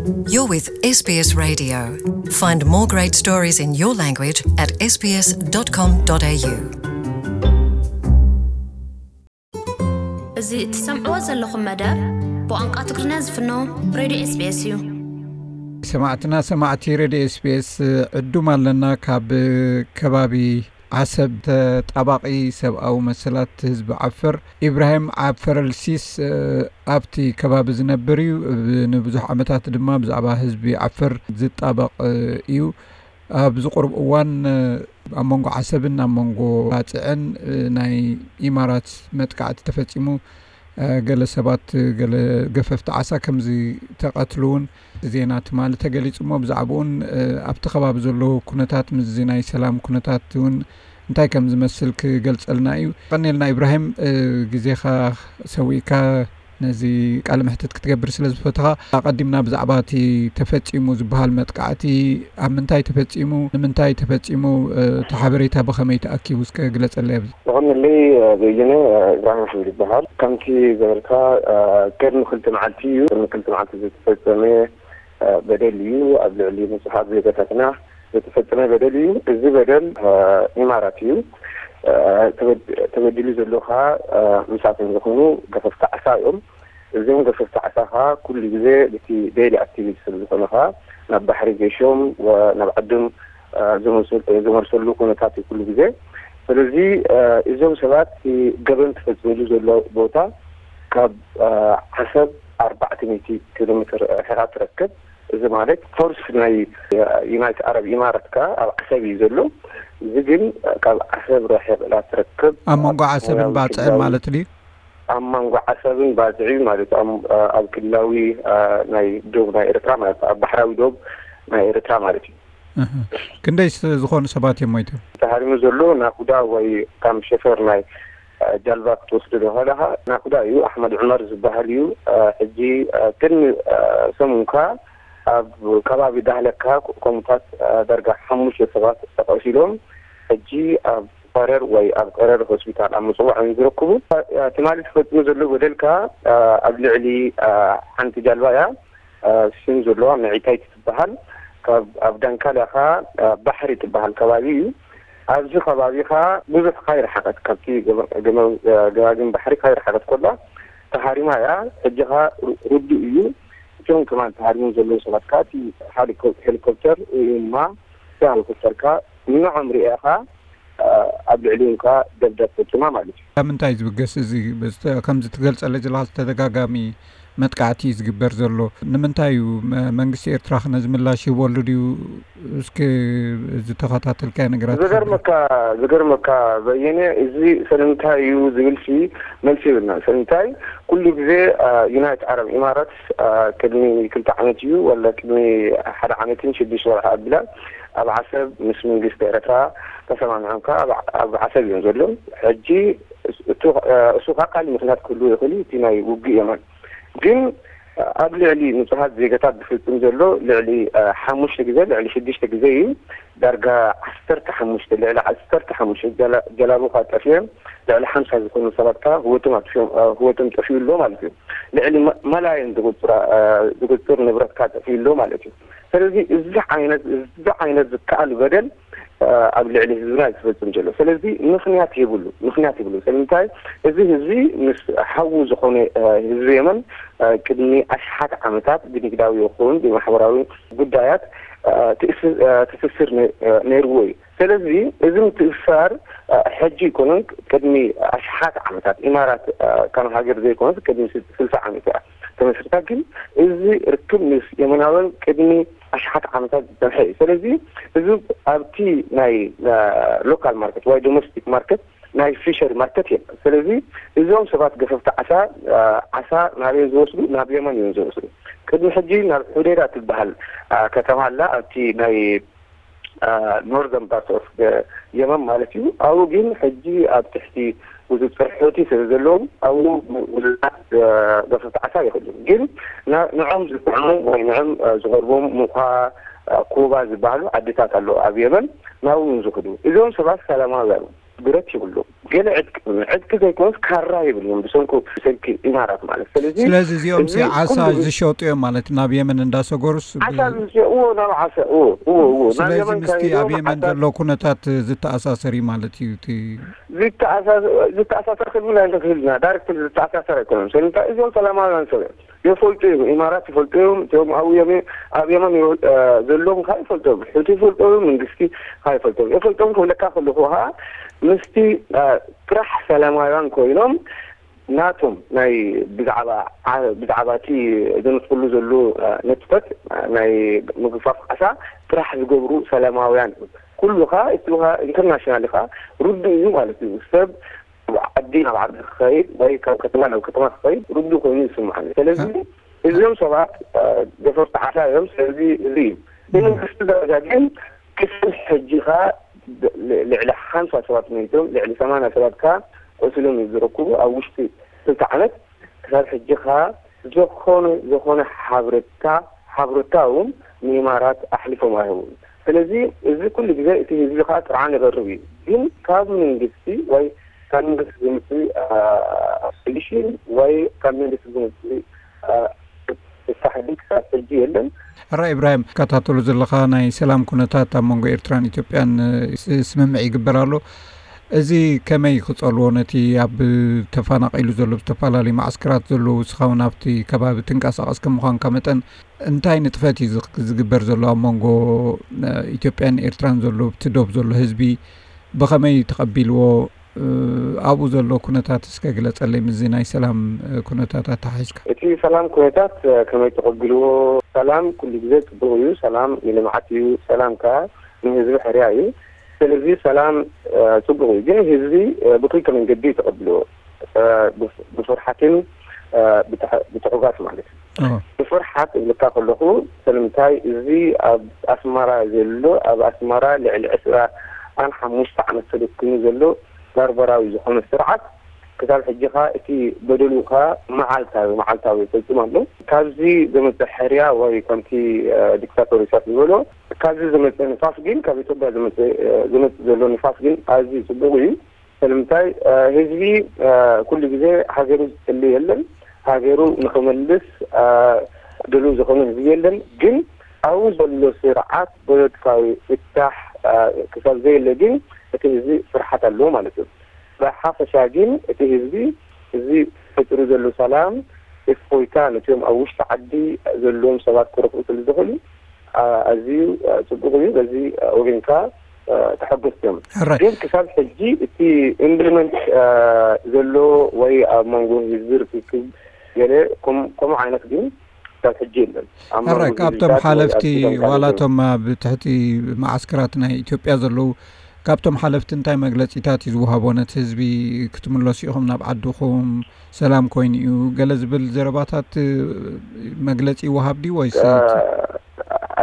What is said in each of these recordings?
You're with S B S Radio. Find more great stories in your language at S B S dot com dot A U. እዚ እትሰምዕዎ ዘለኹም መደብ ብቋንቋ ትግርኛ ዝፍኖ ሬድዮ S B S እዩ። ሰማዕትና ሰማዕቲ ሬድዮ S B S ዕዱም ኣለና። ካብ ከባቢ ዓሰብ ተጣባቒ ሰብኣዊ መሰላት ህዝቢ ዓፈር ኢብራሂም ዓፈረልሲስ ኣብቲ ከባቢ ዝነብር እዩ። ንብዙሕ ዓመታት ድማ ብዛዕባ ህዝቢ ዓፈር ዝጣበቕ እዩ። ኣብዚ ቁሩብ እዋን ኣብ መንጎ ዓሰብን ኣብ መንጎ ባጽዕን ናይ ኢማራት መጥቃዕቲ ተፈጺሙ፣ ገለ ሰባት፣ ገለ ገፈፍቲ ዓሳ ከም ዝተቐትሉ እውን ዜና ትማሊ ተገሊጹ እሞ፣ ብዛዕባኡን ኣብቲ ከባቢ ዘሎ ኩነታት፣ ምስዚ ናይ ሰላም ኩነታት እውን እንታይ ከም ዝመስል ክገልጸልና እዩ። ቀኒልና ኢብራሂም፣ ግዜኻ ሰዊእካ ነዚ ቃለ መሕትት ክትገብር ስለ ዝፈተኻ፣ ኣቐዲምና ብዛዕባ እቲ ተፈጺሙ ዝበሃል መጥቃዕቲ፣ ኣብ ምንታይ ተፈጺሙ፣ ንምንታይ ተፈጺሙ፣ እቲ ሓበሬታ ብኸመይ ተኣኪቡ እስከ ግለጸለይ ኣብዚ። ብቐንደለይ በየነ ኢብራሂም ኣሕመድ ይበሃል። ከምቲ ዝበልካ፣ ቅድሚ ክልተ መዓልቲ እዩ፣ ቅድሚ ክልተ መዓልቲ ዝተፈጸመ በደል እዩ። ኣብ ልዕሊ ንጹሃት ዜጋታትና ዝተፈጸመ በደል እዩ። እዚ በደል ኢማራት እዩ። ተበዲሉ ዘሎ ኸኣ ምሳቶም ዝኾኑ ገፈፍቲ ዓሳ እዮም። እዞም ገፈፍቲ ዓሳ ኸኣ ኩሉ ግዜ እቲ ዴይሊ ኣክቲቪቲ ስለ ዝኾነ ኸኣ ናብ ባሕሪ ገሾም ናብ ዓዶም ዝመልሰሉ ኩነታት እዩ ኩሉ ግዜ። ስለዚ እዞም ሰባት እቲ ገበን ተፈጺሙሉ ዘሎ ቦታ ካብ ዓሰብ ኣርባዕተ ሚእቲ ኪሎ ሜትር ርሒቓ ትረክብ። እዚ ማለት ፎርስ ናይ ዩናይትድ ዓረብ ኢማራት ከኣ ኣብ ዓሰብ እዩ ዘሎ። እዚ ግን ካብ ዓሰብ ርሒቕ ኢላ ትረክብ። ኣብ መንጎ ዓሰብን ባጽዕን ማለት ድዩ? ኣብ መንጎ ዓሰብን ባጽዕን ማለት እዩ። ኣብ ክልላዊ ናይ ዶብ ናይ ኤርትራ ማለት ኣብ ባሕራዊ ዶብ ናይ ኤርትራ ማለት እዩ። ክንደይ ዝኾኑ ሰባት እዮም ሞይቶም? ተሃሪሙ ዘሎ ናኹዳ ወይ ከም ሸፈር ናይ ጃልባ ክትወስዶ ከለኻ ናኹዳ እዩ። ኣሕመድ ዑመር ዝበሃል እዩ። ሕጂ ቅድሚ ሰሙንካ ኣብ ከባቢ ዳህለካ ከምኡታት ዳርጋ ሓሙሽተ ሰባት ተቐሲሎም ሕጂ ኣብ ፈረር ወይ ኣብ ቀረር ሆስፒታል ኣብ ምጽዋዕ እዮም ዝረክቡ። ትማሊ ተፈጺሙ ዘሎ በደልካ ኣብ ልዕሊ ሓንቲ ጃልባ እያ። ሽም ዘለዋ መዒታይት ትበሃል። ካብ ኣብ ዳንካልያ ኸኣ ባሕሪ ትበሃል ከባቢ እዩ። ኣብዚ ከባቢ ኸኣ ብዙሕ ካይረሓቐት፣ ካብቲ ገማግም ባሕሪ ካይረሓቐት ኮላ ተሃሪማ እያ። ሕጂ ኸኣ ርዱእ እዩ። እቶም ከማን ተሃሪሞም ዘለዉ ሰባት ከኣ እቲ ሄሊኮፕተር ወይ ድማ እቲ ሄሊኮፕተር ከኣ ንዖም ርእያ ኸኣ ኣብ ልዕሊኡ ከኣ ደብዳብ ፈጺማ ማለት እዩ። ካብ ምንታይ ዝብገስ እዚ ከምዚ ትገልጸለይ ዘለኻ ዝተደጋጋሚ መጥቃዕቲ እዩ ዝግበር ዘሎ? ንምንታይ እዩ መንግስቲ ኤርትራ ከ ነዚ ምላሽ ይህበሉ ድዩ? እስኪ ዝተኸታተልካዮ ነገራት ዝገርመካ ዝገርመካ በየነ፣ እዚ ስለምንታይ እዩ ዝብል ሲ መልሲ ይብልና። ስለምንታይ ኩሉ ግዜ ዩናይትድ ዓረብ ኢማራት ቅድሚ ክልተ ዓመት እዩ ወላ ቅድሚ ሓደ ዓመትን ሽዱሽተ ወርሒ ኣብላ ኣብ ዓሰብ ምስ መንግስቲ ኤርትራ ተሰማሚዖም ከኣ ኣብ ዓሰብ እዮም ዘለዉ። ሕጂ እሱ ከዓ ካልእ ምኽንያት ክህልዎ ይኽእል እዩ፣ እቲ ናይ ውግእ የመን ግን ኣብ ልዕሊ ንጹሃት ዜጋታት ዝፍጽም ዘሎ ልዕሊ ሓሙሽተ ግዜ ልዕሊ ሽዱሽተ ግዜ እዩ። ዳርጋ ዓሰርተ ሓሙሽተ ልዕሊ ዓሰርተ ሓሙሽተ ጀላቡ ከዓ ጠፊኦም ልዕሊ ሓምሳ ዝኾኑ ሰባት ከዓ ህይወቶም ጠፊኡ ኣሎ ማለት እዩ። ልዕሊ መላየን ዝቁፅር ንብረት ከዓ ጠፊኡ ኣሎ ማለት እዩ። ስለዚ እዚ ዓይነት እዚ ዓይነት ዝከኣል በደል ኣብ ልዕሊ ህዝብና እዩ ዝፈጽም ዘሎ። ስለዚ ምኽንያት የብሉ ምኽንያት የብሉ። ስለምንታይ እዚ ህዝቢ ምስ ሓዉ ዝኾነ ህዝቢ የመን ቅድሚ ኣሽሓት ዓመታት ብንግዳዊ ይኹን ብማሕበራዊ ጉዳያት ትእስስር ነይርዎ እዩ። ስለዚ እዚ ምትእስሳር ሕጂ ይኮነን ቅድሚ ኣሽሓት ዓመታት ኢማራት ከም ሃገር ዘይኮነት ቅድሚ ስልሳ ዓመት እያ ተመስርታ። ግን እዚ ርክብ ምስ የመናውያን ቅድሚ ኣሽሓት ዓመታት ዝፀንሐ እዩ። ስለዚ እዚ ኣብቲ ናይ ሎካል ማርኬት ወይ ዶሜስቲክ ማርኬት ናይ ፊሸሪ ማርኬት የለን። ስለዚ እዞም ሰባት ገፈፍቲ ዓሳ ዓሳ ናበይ ዝወስዱ ናብ የመን እዮም ዝወስዱ። ቅድሚ ሕጂ ናብ ሑዴዳ ትበሃል ከተማ ኣላ ኣብቲ ናይ ኖርዘርን ፓርት ኦፍ የመን ማለት እዩ። ኣብኡ ግን ሕጂ ኣብ ትሕቲ ቁፅፅር ሑቲ ስለ ዘለዎም ኣብኡ ብዙሓት ገፈፍቲ ዓሳ ይኽእሉ ግን ንዖም ዝጥዕሙ ወይ ንዖም ዝቐርቦም ሙኳ ኩባ ዝበሃሉ ዓድታት ኣለዉ ኣብ የመን ናብኡ ዝኽዱ እዞም ሰባት ሰላማውያን ብረት ይብሉ፣ ገለ ዕጥቂ ዕጥቂ ዘይኮነስ ካራ ይብሉ ብሰንኩ ብሰንኪ ኢማራት ማለት። ስለዚ ስለዚ እዚኦም ሲ እዚ ዓሳ ኩሉ ዝሸጡ እዮም ማለት፣ ናብ የመን እንዳሰገሩስ ብ- ዓሳ ዝሸጥዎ ናብ ዓሳ እዎ እዎ እዎ ናብ ስለዚ የመን ምስቲ ካይዶም ኣብ የመን ዓሳ ዘሎ ኩነታት ዝተኣሳሰር እዩ ማለት እዩ። እቲ ዝተኣሳሰ- ዝተኣሳሰር ክብል ኣይንኽእልና። ዳይሬክት ዝተኣሳሰር ኣይኮነን። ሰለምንታይ እዚኦም ሰላማውያን ሰብ እዮም። የፈልጡ እዮም። ኢማራት ይፈልጡ እዮም። እቶም ኣብኡ የመ- ኣብ የመን ይወ- እ፣ ዘለዉ ከዓ ይፈልጡ እዮም። ሕቲ ይፈልጡ እዮም። መንግስቲ ከዓ ይፈልጡ እዮም። የፈልጦም ክብለካ ከለኹ ከዓ ምስቲ እ፣ ጥራሕ ሰላማውያን ኮይኖም ናቶም ናይ ብዛዕባ ዓ- ብዛዕባ እቲ ዘንጥፍሉ ዘሎ እ፣ ነጥፈት እ፣ ናይ ምግፋፍ ዓሳ ጥራሕ ዝገብሩ ሰላማውያን እዮም። ኩሉ ከዓ እቲ ከዓ ኢንተርናሽናል ከዓ ርዱእ እዩ ማለት እዩ። ሰብ ዓዲ ናብ ዓዲ ክኸይድ ወይ ካብ ከተማ ናብ ከተማ ክኸይድ ርዱእ ኮይኑ ይስምዓኒ። ስለዚ እዚኦም ሰባት ደፈርቲ ዓሳ እዮም። ስለዚ እዚ እዩ ብመንግስቲ ደረጃ ግን ክሳብ ሕጂ ከዓ ልዕሊ ሓምሳ ሰባት መይቶም ልዕሊ ሰማንያ ሰባት ከዓ ቆሲሎም እዩ ዝረክቡ ኣብ ውሽጢ ክልተ ዓመት። ክሳብ ሕጂ ከዓ ዝኾነ ዝኾነ ሓብረታ ሓብረታ እውን ንኢማራት ኣሕሊፎም ኣይህቡን። ስለዚ እዚ ኩሉ ግዜ እቲ ህዝቢ ከዓ ጥርዓን ይቐርብ እዩ። ግን ካብ መንግስቲ ወይ ካብ መንግስቲ ዝምፅእ ሶሉሽን ወይ ካብ መንግስቲ ዝምፅእ ፍታሕ ግን ክሳብ ሕጂ የለን። ሕራ ኢብራሂም፣ ትከታተሎ ዘለኻ ናይ ሰላም ኩነታት ኣብ መንጎ ኤርትራን ኢትዮጵያን ስምምዕ ይግበር ኣሎ። እዚ ከመይ ክጸልዎ ነቲ ኣብ ተፈናቒሉ ዘሎ ብዝተፈላለዩ ማዓስከራት ዘለዉ ንስኻ እውን ኣብቲ ከባቢ ትንቀሳቐስ ከም ምዃንካ መጠን እንታይ ንጥፈት እዩ ዝግበር ዘሎ ኣብ መንጎ ኢትዮጵያን ኤርትራን ዘሎ ኣብቲ ዶብ ዘሎ ህዝቢ ብኸመይ ተቐቢልዎ ኣብኡ ዘሎ ኩነታት እስከ ግለጸለይ ምስዚ ናይ ሰላም ኩነታት ኣተሓሒዝካ። እቲ ሰላም ኩነታት ከመይ ተቐቢልዎ? ሰላም ኩሉ ግዜ ጽቡቕ እዩ። ሰላም ንልምዓት እዩ። ሰላም ከኣ ንህዝቢ ሕርያ እዩ። ስለዚ ሰላም ጽቡቕ እዩ፣ ግን ህዝቢ ብክልተ መንገዲ እዩ ተቐቢልዎ። ብፍርሓትን ብትዕጋት ማለት እዩ። ብፍርሓት እብልካ ከለኹ ስለምንታይ እዚ ኣብ ኣስመራ ዘሎ ኣብ ኣስመራ ልዕሊ ዕስራን ሓሙሽተ ዓመት ተደኪሙ ዘሎ ባርበራዊ ዝኾነ ስርዓት ክሳብ ሕጂ ኸኣ እቲ በደሉ ኸኣ መዓልታዊ መዓልታዊ ይፈጽም ኣሎ። ካብዚ ዝመጽእ ሕርያ ወይ ከምቲ ዲክታቶር ኢሳያስ ዝበሎ ካብዚ ዝመጽእ ንፋስ ግን ካብ ኢትዮጵያ ዝመጽእ ዝመጽእ ዘሎ ንፋስ ግን ኣዝዩ ጽቡቕ እዩ። ስለምንታይ ህዝቢ ኩሉ ግዜ ሃገሩ ዝጽሊ የለን። ሃገሩ ንኽመልስ ድሉው ዝኾነ ህዝቢ የለን። ግን ኣብኡ ዘሎ ስርዓት ፖለቲካዊ ፍታሕ ክሳብ ዘየለ ግን እቲ ህዝቢ ፍርሓት ኣለዎ ማለት እዩ። ብሓፈሻ ግን እቲ ህዝቢ እዚ ፈጢሩ ዘሎ ሰላም እፎይታ ነቲኦም ኣብ ውሽጢ ዓዲ ዘለዎም ሰባት ክረኽቡ ስለ ዝኽእሉ ኣዝዩ ጽቡቕ እዩ። በዚ ወገን ከኣ ተሐጎስቲ እዮም። ሕራይ። ግን ክሳብ ሕጂ እቲ ኢምፕሊመንት ዘሎ ወይ ኣብ መንጎ ህዝቢ ርክክብ ገለ ከም- ከምኡ ዓይነት ግን ክሳብ ሕጂ የለን። ኣብ መንጎ ሕራይ፣ ካብቶም ድርጅታት ወይ ሓለፍቲ ኣብ ሱዳን ካልእ ዋላቶም ኣብ ትሕቲ መዓስከራት ናይ ኢትዮጵያ ዘለዉ ካብቶም ሓለፍቲ እንታይ መግለጺታት እዩ ዝወሃቦ? ነቲ ህዝቢ ክትምለሱ ኢኹም ናብ ዓድኹም፣ ሰላም ኮይኑ እዩ ገለ ዝብል ዘረባታት መግለጺ ይወሃብ ድዩ ወይስ?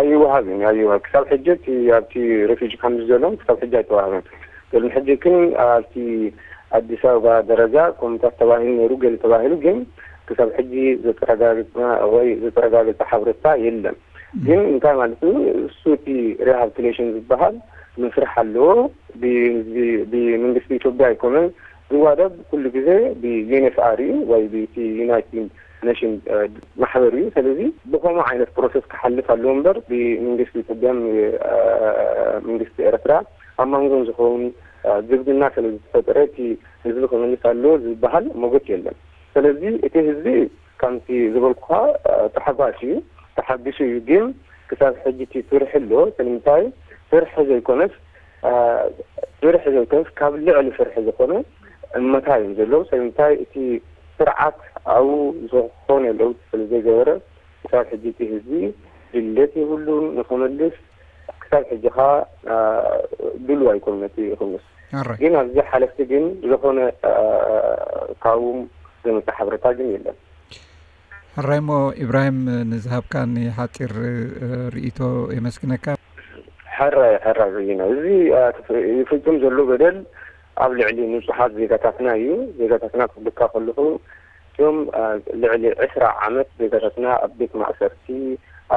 ኣይወሃብን ኣይወሃብ ክሳብ ሕጂ እቲ ኣብቲ ሬፊጂ ካምፕ ዘሎ ክሳብ ሕጂ ኣይተዋህበን። ቅድሚ ሕጂ ግን ኣብቲ ኣዲስ ኣበባ ደረጃ ኮሚታት ተባሂሉ ነይሩ ገለ ተባሂሉ ግን ክሳብ ሕጂ ዘተረጋግፅና ወይ ዘተረጋገፀ ሓበሬታ የለን። ግን እንታይ ማለት እዩ እሱ እቲ ሪሃብሊቴሽን ዝበሃል መስርሕ ኣለዎ። ብመንግስቲ ኢትዮጵያ ኣይኮነን ዝዋደብ ኩሉ ግዜ ብዩኤንኤፍኣር እዩ ወይ ብቲ ዩናይትድ ነሽን ማሕበር እዩ። ስለዚ ብኸምኡ ዓይነት ፕሮሰስ ክሓልፍ ኣለዎ እምበር ብመንግስቲ ኢትዮጵያን መንግስቲ ኤርትራ ኣብ መንጎም ዝኸውን ዝምድና ስለ ዝተፈጠረ እቲ ህዝቢ ክምልስ ኣለዎ ዝበሃል ሞገት የለን። ስለዚ እቲ ህዝቢ ከምቲ ዝበልኩኻ ተሓጓሲ እዩ፣ ተሓጒሱ እዩ። ግን ክሳብ ሕጂ እቲ ፍርሒ ኣሎ። ስለምንታይ ፍርሒ ዘይኮነስ ፍርሒ ዘይኮነስ ካብ ልዕሊ ፍርሒ ዝኾነ እመታ እዮም ዘለዉ። ስለምንታይ እቲ ስርዓት ኣብኡ ዝኾነ ለውጢ ስለ ዘይገበረ ክሳብ ሕጂ እቲ ህዝቢ ድሌት የብሉን ንኽምልስ። ክሳብ ሕጂ ኸዓ ድሉው ኣይኮኑን ነቲ ክምልስ። ግን ኣብዚ ሓለፍቲ ግን ዝኾነ ካብኡም ዝመፀ ሓበሬታ ግን የለን። ሕራይ እሞ ኢብራሂም ንዝሃብካኒ ሓፂር ርእይቶ የመስግነካ። ሕራይ ሕራይ በይነ እዚ ይፍፅም ዘሎ በደል ኣብ ልዕሊ ንፁሓት ዜጋታትና እዩ። ዜጋታትና ክብልካ ከለኹ እቶም ልዕሊ ዕስራ ዓመት ዜጋታትና ኣብ ቤት ማእሰርቲ፣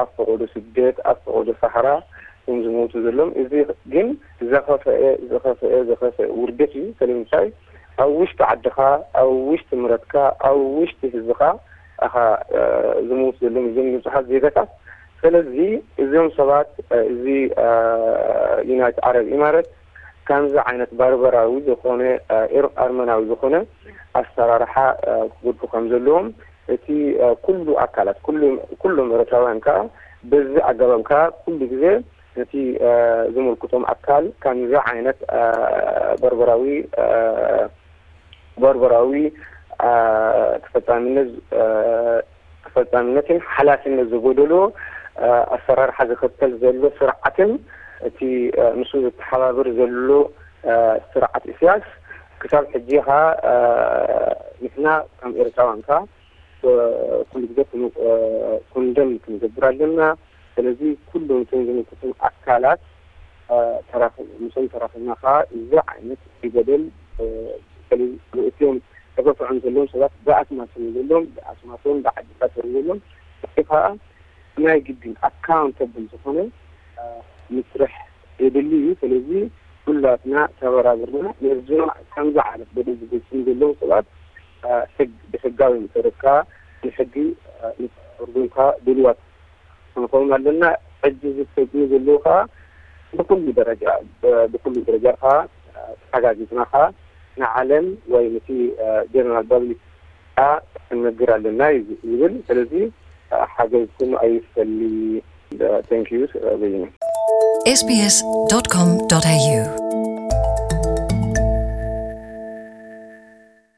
ኣብ ፈቐዶ ስደት፣ ኣብ ፈቐዶ ሳሕራ እዮም ዝሞቱ ዘለዉ። እዚ ግን ዘኸፈአ ዘኸፈአ ዘኸፈአ ውርደት እዩ። ስለምንታይ ኣብ ውሽጢ ዓድኻ፣ ኣብ ውሽጢ ምረትካ፣ ኣብ ውሽጢ ህዝብኻ ኣኻ ዝምውት ዘለዉ እዞም ንጹሓት ዜጋታት። ስለዚ እዞም ሰባት እዚ ዩናይትድ ዓረብ ኢማረት ከምዚ ዓይነት ባርበራዊ ዝኾነ ኤር ኣርመናዊ ዝኾነ ኣሰራርሓ ክገድፉ ከም ዘለዎም እቲ ኩሉ ኣካላት ኩሉ ኩሎም ኤርትራውያን ከኣ በዚ ኣገባብ ከኣ ኩሉ ግዜ ነቲ ዝምልክቶም ኣካል ከምዚ ዓይነት በርበራዊ በርበራዊ ተፈጻሚነት ተፈጻሚነትን ሓላፍነት ዝጎደሎ ኣሰራርሓ ዝኽተል ዘሎ ስርዓትን እቲ ንሱ ዝተሓባብር ዘሎ ስርዓት ኢሳያስ ክሳብ ሕጂ ኸኣ ንሕና ከም ኤርትራውያን ከኣ ኩሉ ግዜ ኮንደም ክንገብር ኣለና። ስለዚ ኩሎም እቶም ዝምልከቶም ኣካላት ምስኦም ተራኺብና ከዓ እዚ ዓይነት በደል በተለይ ንእትዮም ተገፍዖም ዘለዎም ሰባት ብኣስማቶም ዘለዎም ብኣስማቶም ብዓድታቶም ዘለዎም ከዓ ናይ ግድን ኣካውንተብል ዝኾነ ምስራሕ የድሊ እዩ። ስለዚ ኩላትና ተበራብርና ነዞም ከምዚ ዓይነት በደል ዝፍፅሙ ዘለዉ ሰባት ሕግ ብሕጋዊ መሰረት ከዓ ንሕጊ ንክቐርቡ ከዓ ድልዋት ክንኸውን ኣለና። ሕጂ ዝፍፀሙ ዘለዉ ከዓ ብኩሉ ደረጃ ብኩሉ ደረጃ ከዓ ተሓጋጊዝና ከዓ ንዓለም ወይ ነቲ ጀነራል ፓብሊክ ከዓ ክንነግር ኣለና እዩ ዝብል። ስለዚ ሓገዝኩም ኣይፈሊ። Thank you በይነ sbs.com.au